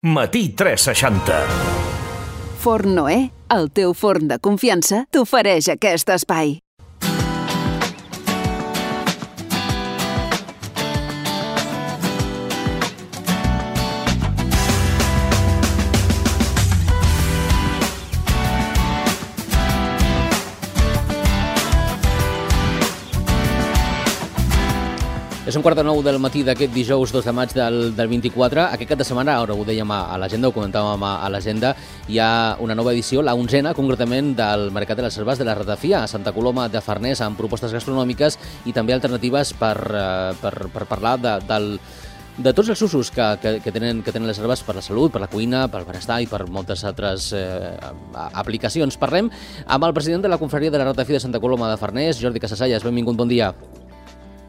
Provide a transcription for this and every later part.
Matí 360. Forn Noè, el teu forn de confiança, t'ofereix aquest espai. És 8:45 del matí d'aquest dijous 2 de maig del 24. Aquest cap de setmana, ara ho dèiem a l'agenda, ho comentàvem a l'agenda, hi ha una nova edició, la 11a, concretament, del Mercat de les Herbes de la Ratafia a Santa Coloma de Farners, amb propostes gastronòmiques i també alternatives per parlar de tots els usos que tenen les herbes per la salut, per la cuina, pel benestar i per moltes altres aplicacions. Parlem amb el president de la Confraria de la Ratafia de Santa Coloma de Farners, Jordi Casasallas. Benvingut, bon dia.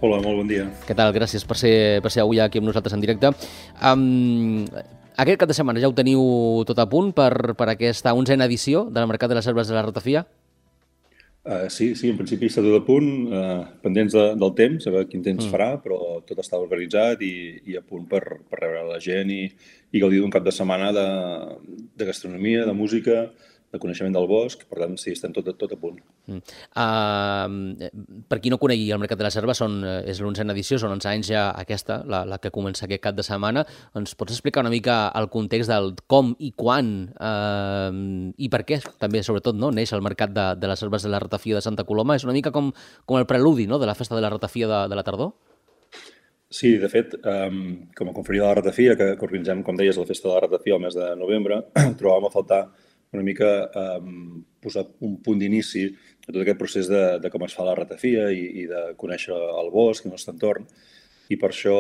Hola, molt bon dia. Què tal? Gràcies per ser avui aquí amb nosaltres en directe. Aquest cap de setmana ja ho teniu tot a punt per aquesta 11a edició del Mercat de les Herbes de la Ratafia? Sí, en principi està tot a punt, pendents del temps, a veure quin temps farà, però tot està organitzat i a punt per rebre la gent i gaudir d'un cap de setmana de gastronomia, de música, de coneixement del bosc, per tant, sí, estem tot a punt. Per qui no conegui el Mercat de les Herbes, és l'11a edició, són 11 anys ja aquesta, la que comença aquest cap de setmana. Ens pots explicar una mica el context del com i quan i per què, també, sobretot, no, neix el Mercat de les Herbes de la Ratafia de Santa Coloma? És una mica com el preludi, no?, de la festa de la ratafia de la tardor? Sí, de fet, com a confraria de la ratafia, que organitzem, com deies, la festa de la ratafia al mes de novembre, trobàvem a faltar una mica posar un punt d'inici a tot aquest procés de com es fa la ratafia i de conèixer el bosc i el nostre entorn. I per això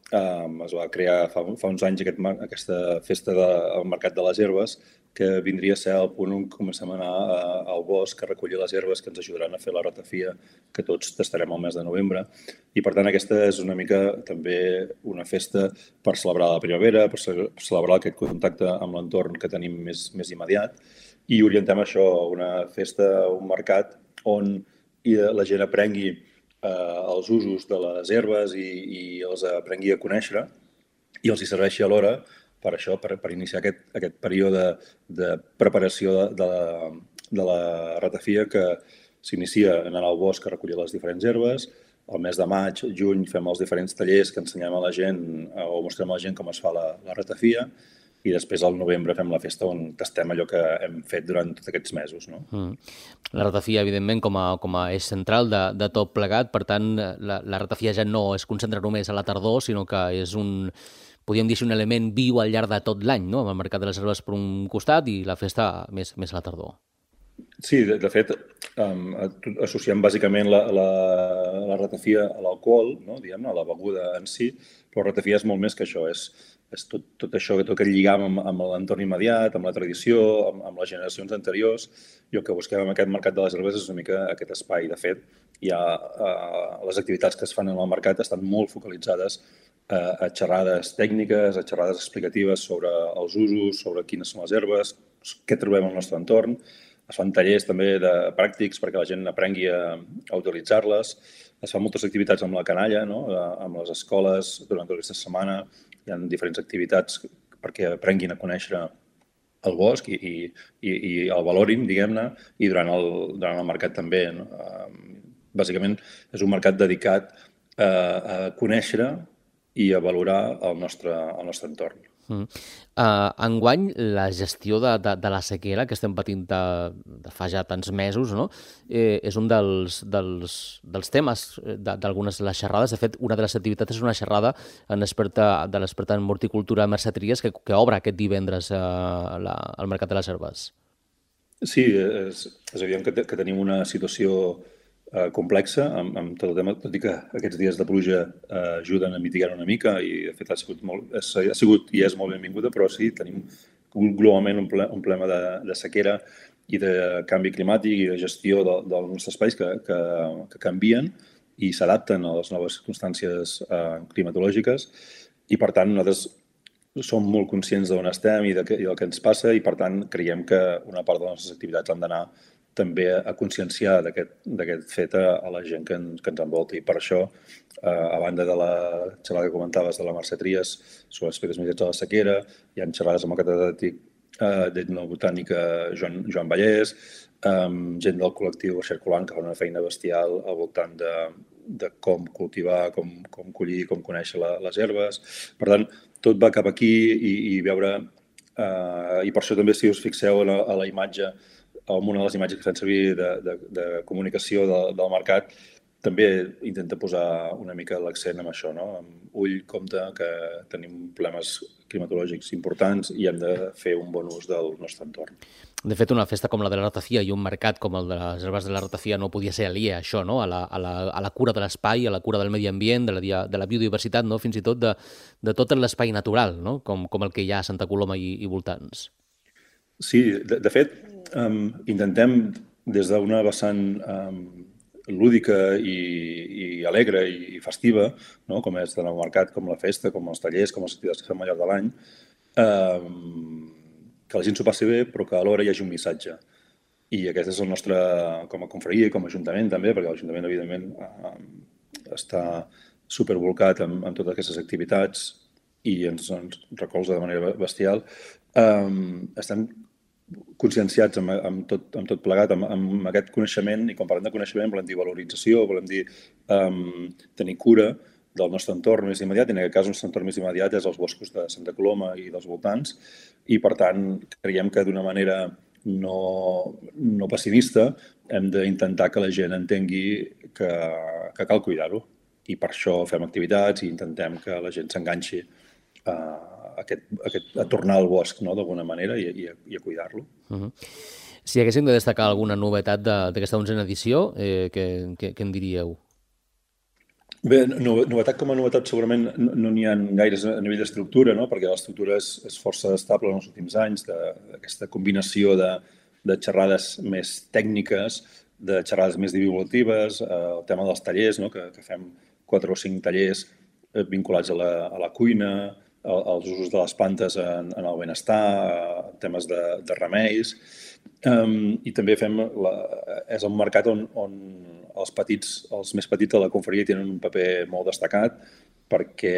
es va crear fa uns anys aquesta festa del Mercat de les Herbes, que vindria a ser el punt on comencem a anar al bosc a recollir les herbes que ens ajudaran a fer la ratafia que tots tastarem al mes de novembre. I per tant aquesta és una mica també una festa per celebrar la primavera, per celebrar aquest contacte amb l'entorn que tenim més immediat, i orientem això a una festa, un mercat on la gent aprengui els usos de les herbes i els aprengui a conèixer i els hi serveixi alhora per això, per iniciar aquest període de preparació de la ratafia que s'inicia anant al bosc a recollir les diferents herbes. Al mes de maig, juny, fem els diferents tallers que ensenyem a la gent o mostrem a la gent com es fa la ratafia, i després al novembre fem la festa on tastem allò que hem fet durant tots aquests mesos. No? La ratafia, evidentment, com a eix central de tot plegat. Per tant, la ratafia ja no es concentra només a la tardor, sinó que és podríem dir, un element viu al llarg de tot l'any, no? Amb el Mercat de les Herbes per un costat i la festa més a la tardor. Sí, de fet, associem bàsicament la ratafia a l'alcohol, no? Diguem-ne, a la beguda en si, però la ratafia és molt més que això, és tot això, tot aquest lligam amb l'entorn immediat, amb la tradició, amb les generacions anteriors, i el que busquem amb aquest Mercat de les Herbes és una mica aquest espai. De fet, les activitats que es fan en el mercat estan molt focalitzades a xerrades tècniques, a xerrades explicatives sobre els usos, sobre quines són les herbes, què trobem al nostre entorn. Es fan tallers també pràctics perquè la gent aprengui a utilitzar-les. Es fan moltes activitats amb la canalla, no? Amb les escoles durant tota aquesta setmana. Hi ha diferents activitats perquè aprenguin a conèixer el bosc i el valorin, diguem-ne, i durant el mercat també. No? Bàsicament és un mercat dedicat a conèixer i a valorar el nostre entorn. Enguany, la gestió de la sequera que estem patint de fa ja tants mesos, no? És un dels temes d'algunes de les xerrades. De fet, una de les activitats és una xerrada de l'experta en horticultura Mercè Trias que obre aquest divendres al Mercat de les Herbes. Sí, és evident que tenim una situació complexa amb tot el tema, tot i que aquests dies de pluja ajuden a mitigar una mica i de fet ha sigut i és molt benvinguda, però sí, tenim globalment un problema de sequera i de canvi climàtic i de gestió dels nostres espais que canvien i s'adapten a les noves circumstàncies climatològiques i per tant nosaltres som molt conscients d'on estem i del que ens passa i per tant creiem que una part de les nostres activitats han d'anar també a conscienciar d'aquest fet a la gent que ens envolta. I per això, a banda de la xerrada que comentaves de la Mercè Trias sobre aspectes mitjans de la sequera, hi ha xerrades amb el catedràtic d'etnobotànica Joan Vallès, gent del col·lectiu Xercolant que fa una feina bestial al voltant de com cultivar, com collir, com conèixer les herbes. Per tant, tot va cap aquí i veure... I per això també, si us fixeu a la imatge, en una de les imatges que fan servir de comunicació del mercat, també intenta posar una mica l'accent en això, no? Ull, compte, que tenim problemes climatològics importants i hem de fer un bon ús del nostre entorn. De fet, una festa com la de la ratafia i un mercat com el de les herbes de la ratafia no podia ser aliè a això, no? A la cura de l'espai, a la cura del medi ambient, de la biodiversitat, no? Fins i tot de tot l'espai natural, no? Com el que hi ha a Santa Coloma i voltants. Sí, de fet, intentem des d'una vessant lúdica i alegre i festiva, no? Com és tant el mercat, com la festa, com els tallers, com les activitats que fem al llarg de l'any, que la gent s'ho passi bé, però que alhora hi hagi un missatge. I aquest és el nostre, com a confraria i com a ajuntament també, perquè l'Ajuntament, evidentment, està supervolcat amb totes aquestes activitats i ens recolza de manera bestial. Estem conscienciats amb tot plegat, amb aquest coneixement, i quan parlem de coneixement volem dir valorització, volem dir tenir cura del nostre entorn més immediat, i en aquest cas el nostre entorn més immediat és els boscos de Santa Coloma i dels voltants, i per tant creiem que d'una manera no pessimista hem d'intentar que la gent entengui que cal cuidar-ho, i per això fem activitats i intentem que la gent s'enganxi a tornar al bosc, no?, d'alguna manera, i a cuidar-lo. Si haguéssim de destacar alguna novetat d'aquesta 11a edició, què en diríeu? Bé, novetat com a novetat segurament no n'hi ha gaires a nivell d'estructura, no?, perquè l'estructura és força estable en els últims anys, d'aquesta combinació de xerrades més tècniques, de xerrades més divulgatives, el tema dels tallers, no?, que fem 4 o 5 tallers vinculats a la cuina, als usos de les plantes en el benestar, temes de remeis, i també és un mercat on els més petits de la confraria tenen un paper molt destacat, perquè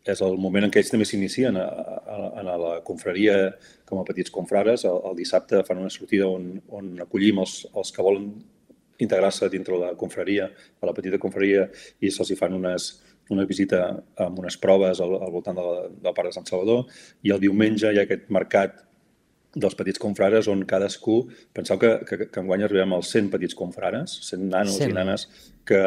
és el moment en què ells també s'inicien a la confraria com a petits confrares. El dissabte fan una sortida on acollim els que volen integrar-se dintre la confraria, a la petita confraria, i se'ls fan una visita amb unes proves al voltant del Parc de Sant Salvador, i el diumenge hi ha aquest mercat dels petits confrares on cadascú... Penseu que enguany arribem als 100 petits confrares, 100 nanos i nanes, que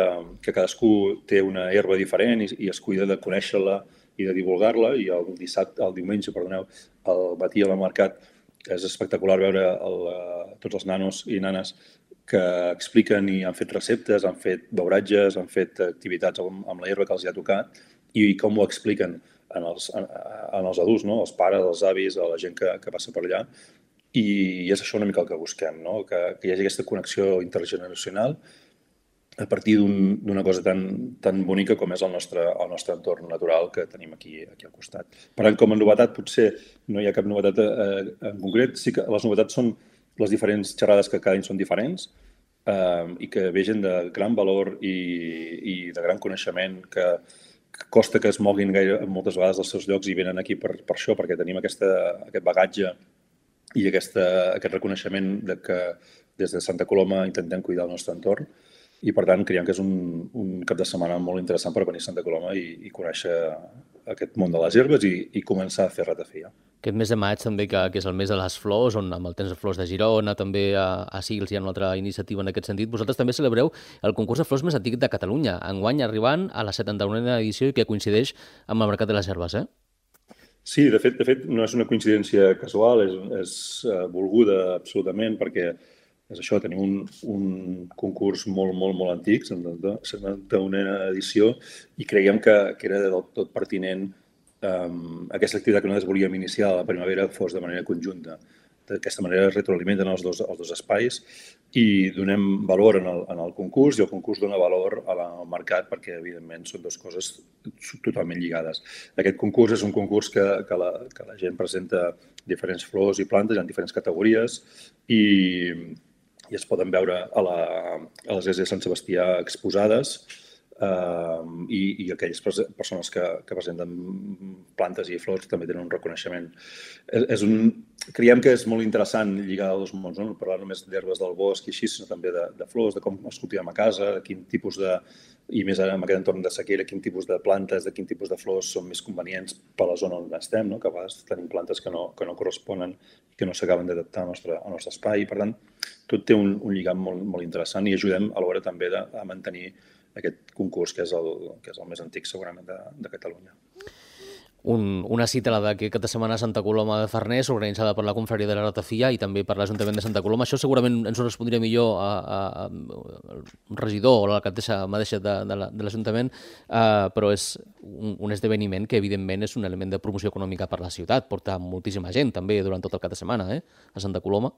cadascú té una herba diferent i es cuida de conèixer-la i de divulgar-la, i el diumenge, al matí al mercat és espectacular veure tots els nanos i nanes que expliquen i han fet receptes, han fet beuratges, han fet activitats amb la herba que els hi ha tocat, i com ho expliquen en els adults, no?, els pares, els avis, a la gent que passa per allà. I és això una mica el que busquem, no?, que hi hagi aquesta connexió intergeneracional a partir d'una cosa tan bonica com és el nostre entorn natural que tenim aquí al costat. Per tant, com a novetat, potser no hi ha cap novetat en concret. Sí que les novetats són les diferents xerrades, que cada any són diferents, i que vegen de gran valor i de gran coneixement, que costa que es moguin moltes vegades dels seus llocs i venen aquí per això, perquè tenim aquest bagatge i aquest reconeixement que des de Santa Coloma intentem cuidar el nostre entorn, i per tant creiem que és un cap de setmana molt interessant per venir a Santa Coloma i conèixer aquest món de les herbes i començar a fer ratafia. Aquest mes de maig també, que és el mes de les flors, on amb el temps de flors de Girona, també a Sils hi ha una altra iniciativa en aquest sentit. Vosaltres també celebreu el concurs de flors més antic de Catalunya, enguany arribant a la 71a edició, i que coincideix amb el Mercat de les Herbes, eh? Sí, de fet no és una coincidència casual, és volguda absolutament, perquè és això, tenim un concurs molt, molt, molt antic, la 71a edició, i creiem que era del tot pertinent aquesta activitat que nosaltres volíem iniciar a la primavera fos de manera conjunta. D'aquesta manera es retroalimenten els dos espais i donem valor en el concurs, i el concurs dona valor al mercat, perquè evidentment són dues coses totalment lligades. Aquest concurs és un concurs que la gent presenta diferents flors i plantes en diferents categories, i i es poden veure a l'església de Sant Sebastià exposades, i aquelles persones que presenten plantes i flors també tenen un reconeixement. Creiem que és molt interessant lligar els dos mons, no parlar només d'herbes del bosc i així, sinó també de flors, de com es cultivem a casa, de quin tipus i més ara en aquest entorn de sequera, quin tipus de plantes, de quin tipus de flors són més convenients per la zona on estem, no? Que a vegades tenim plantes que no corresponen i que no s'acaben d'adaptar al nostre espai. Per tant, tot té un lligam molt interessant i ajudem alhora també a mantenir aquest concurs, que és el més antic segurament de Catalunya. Una cita, la d'aquest cap de setmana a Santa Coloma de Farners, organitzada per la Confraria de la Ratafia i també per l'Ajuntament de Santa Coloma. Això segurament ens ho respondria millor el regidor o l'alcaldessa mateixa de l'Ajuntament, però és un esdeveniment que evidentment és un element de promoció econòmica per la ciutat. Porta moltíssima gent també durant tot el cap de setmana a Santa Coloma.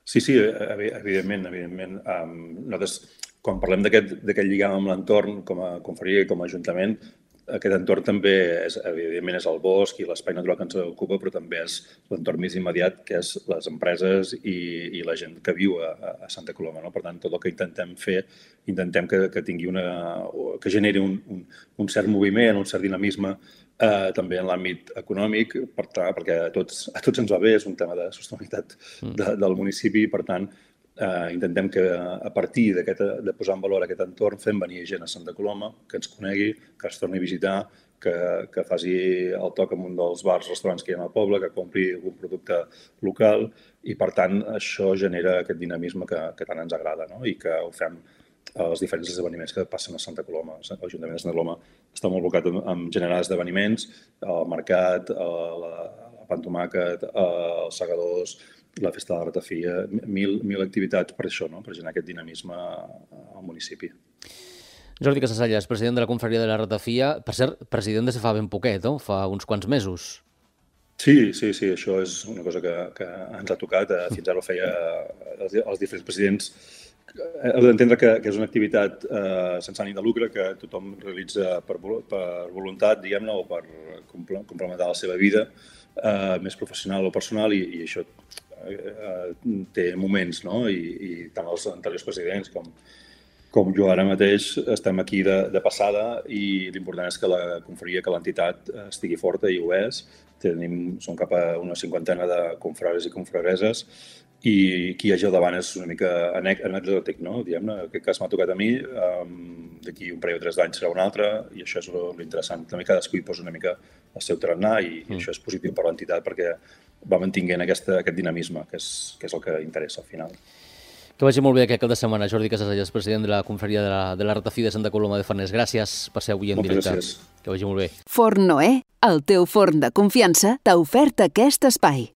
Sí, evidentment. Nosaltres, quan parlem d'aquest lligam amb l'entorn, com a confraria i com a ajuntament, aquest entorn també evidentment és el bosc i l'espai natural que ens ocupa, però també és l'entorn més immediat, que és les empreses i la gent que viu a Santa Coloma. No? Per tant, tot el que intentem fer, intentem que tingui que generi un cert moviment, un cert dinamisme, també en l'àmbit econòmic, perquè a tots ens va bé, és un tema de sostenibilitat del municipi, per tant, intentem que a partir de posar en valor aquest entorn fem venir gent a Santa Coloma, que ens conegui, que es torni a visitar, que faci el toc en un dels bars, restaurants que hi ha al poble, que compri algun producte local i, per tant, això genera aquest dinamisme que tant ens agrada, no? I que ho fem als diferents esdeveniments que passen a Santa Coloma. L'Ajuntament de Santa Coloma està molt abocat en generar esdeveniments, el mercat, la pantomàquet, els segadors, la festa de la ratafia, mil activitats per això, no? Per generar aquest dinamisme al municipi. Jordi Casasallas, president de la Confraria de la Ratafia. Per cert, president des de fa ben poquet, no? Fa uns quants mesos. Sí, això és una cosa que ens ha tocat. Fins ara ho feia els diferents presidents. Heu d'entendre que és una activitat sense ànim de lucre que tothom realitza per voluntat, diguem-ne, o per complementar la seva vida més professional o personal, i això té moments, no? I tant els anteriors presidents com jo ara mateix estem aquí de passada, i l'important és que la confraria, que l'entitat estigui forta, i ho és. Som cap a una 50ena de confrares i confrareses, i qui hi hagi al davant és una mica anecdòtic, no? Diguem-ne, aquest cas m'ha tocat a mi, d'aquí un parell o 3 d'anys serà un altre, i això és l'interessant. També cadascú hi posa una mica el seu tarannà, i això és positiu per l'entitat perquè va mantinguent aquest dinamisme, que és el que interessa al final. Que vagi molt bé aquest cap de setmana. Jordi Casasallas, president de la Confraria de la Ratafia de Santa Coloma de Farners. Gràcies per ser avui en directe. Moltes gràcies. Que vagi molt bé. Forn Noè, el teu forn de confiança, t'ha ofert aquest espai.